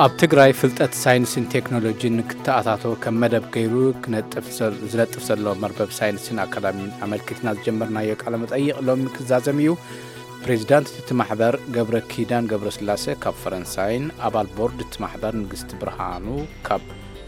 ኣብ ትግራይ ፍልጠት ሳይንስን ቴክኖሎጂን ክተኣታቶ ከም መደብ ገይሩ ክነጥፍ ዘ- ዝነጥፍ ዘሎ መርበብ ሳይንስን ኣካዳሚን ኣመልኪትና ዝጀመርናዮ ቃለ መጠይቕ ሎሚ ክዛዘም እዩ። ፕሬዚዳንት እቲ ማሕበር ገብረ ኪዳን ገብረስላሴ ካብ ፈረንሳይን ኣባል ቦርድ እቲ ማሕበር ንግስቲ ብርሃኑ ካብ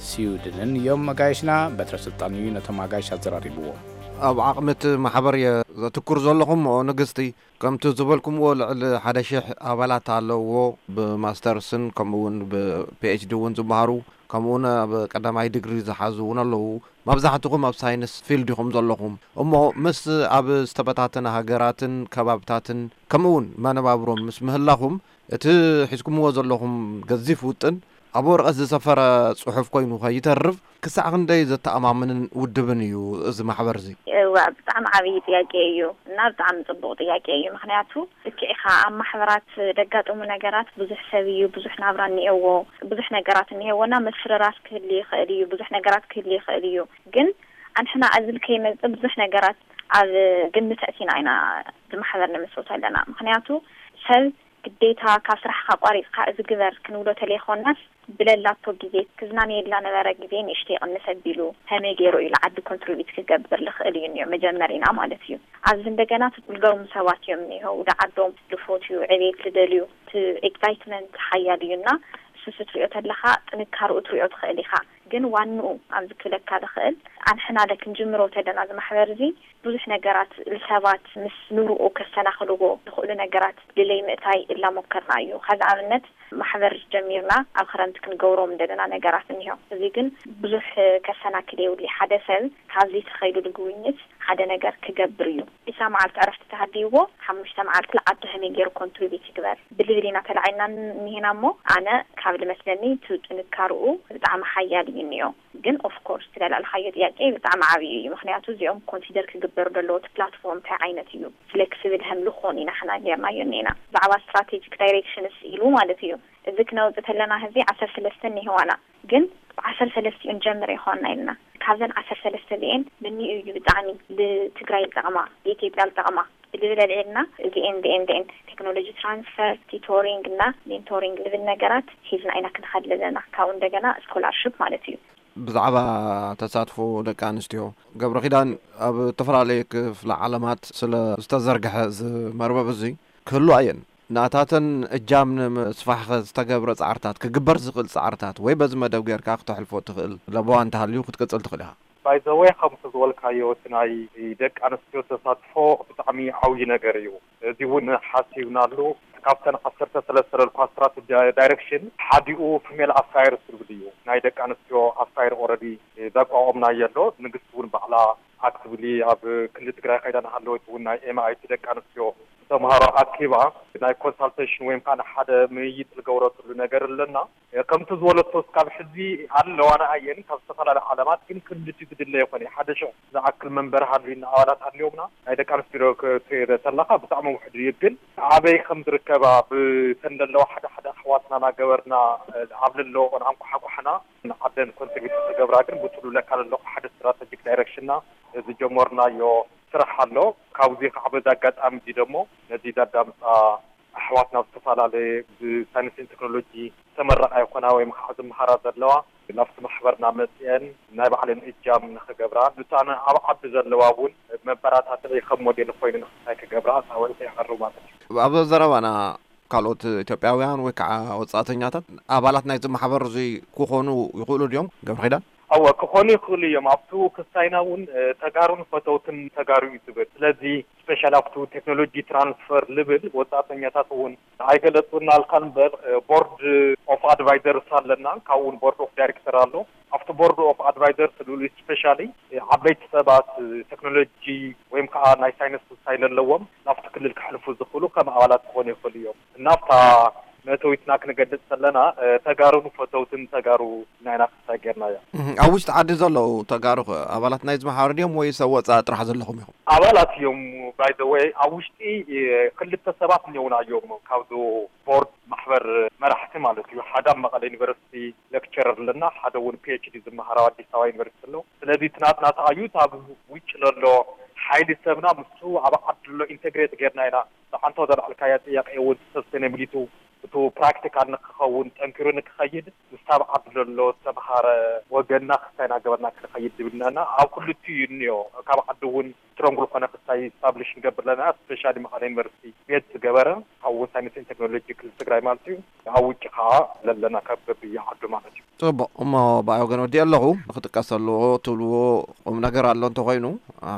ስዊድንን እዮም መጋየሽና። በትረ ስልጣን እዩ ነቶም ኣጋይሽ ኣዘራሪብዎም። ኣብ ዓቕሚ እቲ ማሕበር እየ ዘትኩር ዘለኹ እሞ ንግስቲ፣ ከምቲ ዝበልኩምዎ ልዕሊ ሓደ ሽሕ ኣባላት ኣለውዎ። ብማስተርስን ከምኡ እውን ብፒኤችዲ እውን ዝመሃሩ፣ ከምኡ እውን ኣብ ቀዳማይ ዲግሪ ዝሓዙ እውን ኣለዉ። መብዛሕትኹም ኣብ ሳይንስ ፊልድ ኢኹም ዘለኹም። እሞ ምስ ኣብ ዝተበታተነ ሃገራትን ከባብታትን ከምኡ እውን መነባብሮም ምስ ምህላኹም እቲ ሒዝኩምዎ ዘለኹም ገዚፍ ውጥን ኣብ ወረቐት ዝሰፈረ ጽሑፍ ኮይኑ ከይተርፍ ክሳዕ ክንደይ ዘተኣማምንን ውድብን እዩ እዚ ማሕበር እዚ? እዋ፣ ብጣዕሚ ዓብዪ ጥያቄ እዩ እና ብጣዕሚ ጽቡቕ ጥያቄ እዩ። ምኽንያቱ ልክዕ ኢኻ፣ ኣብ ማሕበራት ደጋጥሙ ነገራት ብዙሕ ሰብ እዩ፣ ብዙሕ ናብራ እኒኤዎ፣ ብዙሕ ነገራት እኒሄዎና፣ ምፍርራስ ክህሉ ይኽእል እዩ፣ ብዙሕ ነገራት ክህሉ ይኽእል እዩ። ግን ኣንሕና ዕዝል ከይመጽእ ብዙሕ ነገራት ኣብ ግምት ኣእቲና ኢና እዚ ማሕበር ንምስርቶ ኣለና። ምኽንያቱ ሰብ ግዴታ ካብ ስራሕካ ኣቋሪጽካ እዚ ግበር ክንብሎ ተለይኮናስ፣ ብለላቶ ግዜ ክዝናነየላ ነበረ ግዜ ንእሽተይ ይቕንስ ኣቢሉ ከመይ ገይሩ እዩ ንዓዲ ኮንትሪቢዩት ክገብር ልኽእል እዩ እኒኦ መጀመሪና ማለት እዩ። ኣብዚ እንደገና እቲ ዝገርሙ ሰባት እዮም እኒሆ፣ ወደ ዓዶም ልፎትዩ፣ ዕቤት ልደልዩ፣ እቲ ኤክሳይትመንት ሓያል እዩ እና እሱ ስትሪኦ ተለኻ ጥንካርኡ ትሪኦ ትኽእል ኢኻ። ግን ዋንኡ ኣብዚ ክብለካ ዝኽእል ኣንሕና ደ ክንጅምሮ ተለና እዚ ማሕበር እዚ ብዙሕ ነገራት ንሰባት ምስ ንርኡ ከሰናኽልዎ ዝኽእሉ ነገራት ልለይ ምእታይ እላሞከርና እዩ። ከዚ ኣብነት ማሕበር ጀሚርና ኣብ ክረምቲ ክንገብሮም እንደለና ነገራት እኒሆ። እዚ ግን ብዙሕ ከሰናክል የብሉ። ሓደ ሰብ ካብዚ ተኸይዱ ዝግውኝት ሓደ ነገር ክገብር እዩ። ኢሳ መዓልቲ ዕረፍቲ ተሃልይዎ ሓሙሽተ መዓልቲ ለዓዱ ከመይ ገይሩ ኮንትሪቢት ይግበር ብልብል ኢና ተላዒልና እኒሄና እሞ ኣነ ካብ ልመስለኒ እቲ ጥንካርኡ ብጣዕሚ ሓያል እዩ እኒኦ። ግን ኦፍኮርስ ትለላልካዮ ጥያቄ ብጣዕሚ ዓብዩ እዩ። ምክንያቱ እዚኦም ኮንሲደር ክግበሩ ዘለዎ እቲ ፕላትፎርም እንታይ ዓይነት እዩ ፍሌክስብል ከም ልኾን ኢና ሕና ጌርናዮ እኒና ብዛዕባ ስትራቴጂክ ዳይሬክሽንስ ኢሉ ማለት እዩ። እዚ ክነውፅ ተለና ህዚ ዓሰርተ ሰለስተ እኒህዋና ግን ዓሰርተ ሰለስቲኡ ንጀምር ይኾንና ኢልና ካብዘን ዓሰርተ ሰለስተ እዚኤን ንኒኡ እዩ ብጣዕሚ ልትግራይ ዝጠቕማ ልኢትዮጵያ ዝጠቕማ ብልብል ኣልዒልና እዚኤን ዚኤን ዚኤን ቴክኖሎጂ ትራንስፈር ቲቶሪንግ እና ሜንቶሪንግ ልብል ነገራት ሒዝና ኢና ክንኸድ ዘለና ካብኡ እንደገና ስኮላርሽፕ ማለት እዩ። ብዛዕባ ተሳትፎ ደቂ ኣንስትዮ ገብረ ኪዳን ኣብ ዝተፈላለየ ክፍለ ዓለማት ስለ ዝተዘርግሐ እዚ መርበብ እዚ ክህሉ ኣየን ናታተን እጃም ንምስፋሕ ዝተገብረ ፃዕርታት ክግበር ዝኽእል ፃዕርታት ወይ በዚ መደብ ጌርካ ክተሕልፎ ትኽእል ለበዋ እንተሃልዩ ክትቅፅል ትኽእል ኢኻ። ባይዘወይ ከምቲ ዝበልካዮ እቲ ናይ ደቂ ኣንስትዮ ተሳትፎ ብጣዕሚ ዓብዪ ነገር እዩ። እዚ እውን ሓሲብናሉ ካብተን ዓሰርተ ሰለስተ ለልኳ ስትራቴጂ ዳይሬክሽን ሓዲኡ ፊሜል ኣፋየርስ ዝብል እዩ። ናይ ደቂ ኣንስትዮ ኣፋየር ኦረዲ ዘቋቋምናዮ ኣሎ። ንግስቲ እውን ባዕላ ኣክቲቭሊ ኣብ ክልል ትግራይ ከይዳ እናሃለወት እውን ናይ ኤምኣይቲ ደቂ ኣንስትዮ ተምሃሮ ኣኪባ ናይ ኮንሳልቴሽን ወይም ከዓ ሓደ ምይይጥ ዝገብረትሉ ነገር ኣለና። ከምቲ ዝበለቶ እስካብ ሕዚ ኣለዋ ንኣየን ካብ ዝተፈላለዩ ዓለማት ግን ክልልቲ ዝድለ ይኮነ ሓደ ሽዕ ዝኣክል መንበሪ ሃልዩና ኣባላት ሃልዮምና ናይ ደቂ ኣንስትዮ ክትርኢ ተለካ ብጣዕሚ ውሕድ እዩ። ግን ኣበይ ከም ዝርከባ ብተን ዘለዋ ሓደ ሓደ ኣሕዋትና ናገበርና ኣብ ለለዎ ቆንዓም ኳሓኳሕና ንዓደን ኮንትሪቢዩት ዝገብራ ግን ብጥሉ ለካ ለለኹ ሓደ ስትራተጂክ ዳይሬክሽንና ዝጀመርናዮ ስራሕ ኣሎ። ካብዚ ከዓ በዚ ኣጋጣሚ እዚ ደሞ ነዚ ዘዳምፃ ኣሕዋትና ኣብ ዝተፈላለየ ብሳይንስን ቴክኖሎጂ ዝተመረቓ ይኾና ወይም ከዓ ዝመሃራ ዘለዋ ናብቲ ማሕበርና መፅአን ናይ ባዕለን እጃም ንክገብራ ንሳን ኣብ ዓዲ ዘለዋ እውን መበራታትዒ ከም ሞዴል ኮይኑ ንክታይ ክገብራ ፃውዒት የቐርብ ማለት እዩ። ኣብ ዘረባና ካልኦት ኢትዮጵያውያን ወይ ከዓ ወፃእተኛታት ኣባላት ናይዚ ማሕበር እዚ ክኾኑ ይኽእሉ ድዮም ገብረ ኪዳን? ኣወ ክኾኑ ይኽእሉ እዮም። ኣብቲ ክስታይና እውን ተጋሩን ፈተውትን ተጋሩ እዩ ዝብል። ስለዚ ስፔሻል ኣብቲ ቴክኖሎጂ ትራንስፈር ልብል ወፃእተኛታት እውን ኣይገለፁና ኣልካ እምበር ቦርድ ኦፍ ኣድቫይዘርስ ኣለና፣ ካብኡ እውን ቦርድ ኦፍ ዳይሬክተር ኣሎ። ኣብቲ ቦርድ ኦፍ ኣድቫይዘርስ ልብል ስፔሻሊ ዓበይቲ ሰባት ቴክኖሎጂ ወይም ከዓ ናይ ሳይንስ ክስታይ ለለዎም ናብቲ ክልል ክሕልፉ ዝኽእሉ ከም ኣባላት ክኾኑ ይኽእሉ እዮም። እናብታ መእተዊትና ክንገልጽ ከለና፣ እ፣ ተጋሩ ንፈተውትን ተጋሩ ናይና ክስታይ ጌርናዮ። እህ፣ ኣብ ውሽጢ ዓዲ ዘለዉ ተጋሩ ኸ ኣባላት ናይዚ ማሕበር ድዮም ወይስ ኣብ ወጻኢ ጥራሕ ዘለኹም ኢኹም? ኣባላት እዮም። By the way፣ ኣብ ውሽጢ፣ እ፣ ክልተ ሰባት እኒኦውና እዮም ካብዚ ቦርድ ማሕበር መራሕቲ ማለት እዩ። ሓደ ኣብ መቐለ ዩኒቨርሲቲ ሌክቸረር ኣለና፣ ሓደ እውን ፒ ኤች ዲ ዝመሃር ኣብ ኣዲስ ኣበባ ዩኒቨርሲቲ ኣሎ። ስለዚ እቲ ናትና ተኣዩ፣ እቲ ኣብ ውጭ ለሎ ሓይሊ ሰብና ምስኡ ኣብ ዓዲ ዘሎ ኢንተግሬት ጌርና ኢና። ብዓንቶ ዘልዓልካያ ጥያቄ እውን ሰስቴናቢሊቲ እቱ ፕራክቲካል ንክኸውን ጠንኪሩ ንክኸይድ ምስታ ኣብ ዓዲ ዘሎ ዝተምሃረ ወገንና ክስታይ እናገበርና ክንኸይድ ዝብልናና ኣብ ክልቲኡ እዩ እኒኦ። ካብ ዓዲ እውን ስትሮንግ ዝኾነ ክስታይ ስታብሊሽ ንገብር ኣለና። ስፔሻሊ መቐለ ዩኒቨርሲቲ ቤት ዝገበረ ካብ ወሳኝ ቴክኖሎጂ ክልል ትግራይ ማለት እዩ። ኣብ ውጭ ከዓ ለለና ካብ በብየ ዓዱ ማለት እዩ። ጽቡቕ እሞ ብኣይ ወገን ወዲእ ኣለኹ። ንክጥቀስ ኣለዎ ትብልዎ ቁም ነገር ኣሎ እንተኾይኑ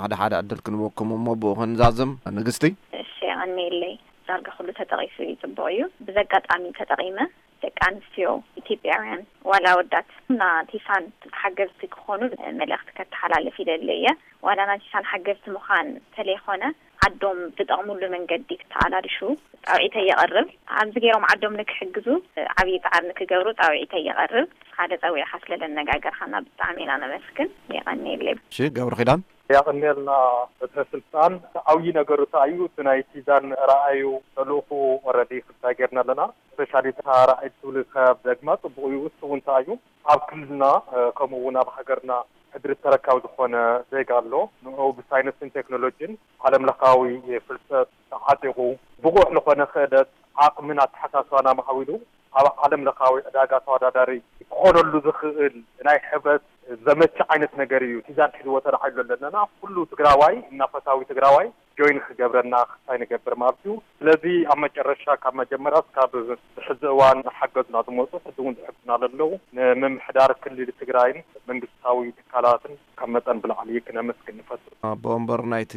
ሓደ ሓደ ዕድል ክንበኩም እሞ ብኡ ክንዛዝም። ንግስቲ። እሺ፣ የቐንየለይ። ዳርጋ ኩሉ ተጠቒሱ እዩ፣ ጽቡቕ እዩ። ብዘጋጣሚ ተጠቒመ ደቂ ኣንስትዮ ኢትዮጵያውያን ዋላ ወዳት ናቲሳን ሓገዝቲ ክኾኑ መልእኽቲ ከተሓላልፍ ይደሊ እየ። ዋላ ናቲሳን ሓገዝቲ ምዃን ተለይኮነ ዓዶም ዝጠቕሙሉ መንገዲ ክተኣላልሹ ጻውዒተይ የቐርብ። ኣብዚ ገይሮም ዓዶም ንክሕግዙ ዓብዪ ጻዕሪ ንክገብሩ ጻውዒተይ የቐርብ። ሓደ ጸዊዕኻ ስለ ዘነጋገርኻና ብጣዕሚ ኢና ነመስግን። የቐንየለይ። እሺ፣ ገብረ ኪዳን። ያቕኔልና በትረ ስልጣን። እቲ ዓብዪ ነገሩ እንታይ እዩ? እቲ ናይ ቲዛን ራእዩ ተልእኹ ኦረዲ ክልታይ ጌርና ኣለና። ስፔሻሊ እታ ራእይ ትብል ካብ ደግማ ጽቡቕ እዩ። እሱ እውን እንታይ እዩ? ኣብ ክልልና፣ እ፣ ከምኡ እውን ኣብ ሃገርና ሕድሪ ተረካቢ ዝኾነ ዜጋ ኣሎ። ንዑ ብሳይንስን ቴክኖሎጂን ዓለም ለኻዊ ፍልጠት ተዓጢቑ ብቑዕ ዝኾነ ክእለት ዓቕምን ኣተሓሳስባን ኣማዕቢሉ ኣብ ዓለም ለኻዊ ዕዳጋ ተወዳዳሪ ክኾነሉ ዝኽእል ናይ ሕብረት ዘመች ዓይነት ነገር እዩ። ቲዛን ሒዝዎ ተላዒሉ ኣለና። ኩሉ ትግራዋይ እና ፈታዊ ትግራዋይ ጆይን ክገብረና ክስታይ ንገብር ማለት እዩ። ስለዚ ኣብ መጨረሻ ካብ መጀመርያ እስካብ ብሕዚ እዋን ንሓገዙና ዝመፁ ሕዚ እውን ዝሕግዙና ዘለዉ ንምምሕዳር ክልል ትግራይን መንግስታዊ ትካላትን ካብ መጠን ብላዕሊ ክነመስግን ንፈቱ። ኣቦ ወንበር ናይቲ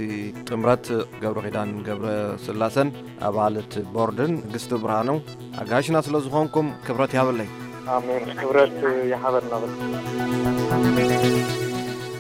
ጥምረት ገብረ ኪዳን ገብረ ስላሰን ኣባል እቲ ቦርድን ንግስቲ ብርሃኑ ኣጋይሽና ስለ ዝኾንኩም ክብረት ይሃበለይ። ኣሜን። ክብረት ይሃበልና።